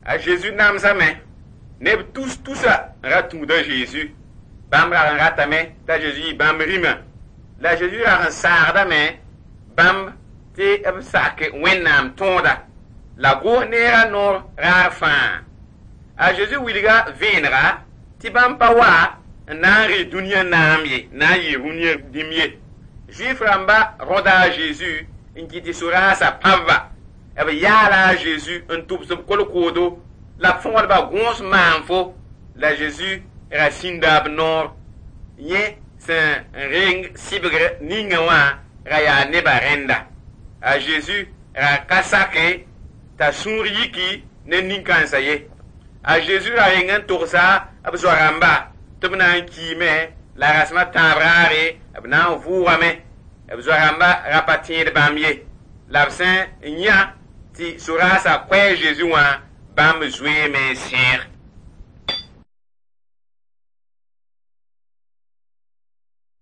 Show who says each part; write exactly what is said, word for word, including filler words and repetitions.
Speaker 1: A Zeezi namsame neb tus-tusa n ra tũud a Zeezi. Bãmb rag n ratame t'a Zeezi yɩ bãmb rĩmã. La a Zeezi rag n saagdame bãmb tɩ b sak Wẽnnaam tõoda la gos neerã noor raar fãa. A Zeezi wilga vẽenega tɩ bãmb pa wa n na n rɩ dũniyã naam ye, na n yɩ rũniyã dĩm ye. Zuif rãmba rõda a Zeezi n kɩt tɩ soraasã pãb-ba. B yaala a Zeezi n tʋbs b kolkoodo la b fõgdba gõos maanfo la Zeezi ra sĩnda b noor. Yẽ sẽn reng sɩbgr ninga wã ra yaa nebã rẽnda. A Zeezi ra ka sake t'a sũur yiki ne nin-kãensã ye. A Zeezi ra reng n togsa b zoa-rãmba tɩ b na n kiime la rasem a tãab raare b na n vʋʋgame. B zoa-rãmba ra pa tẽed bãmb ye. La b sẽn yã tɩ soraasã koɛɛ Zeezi wã, bãmb zoeeme n sẽeg.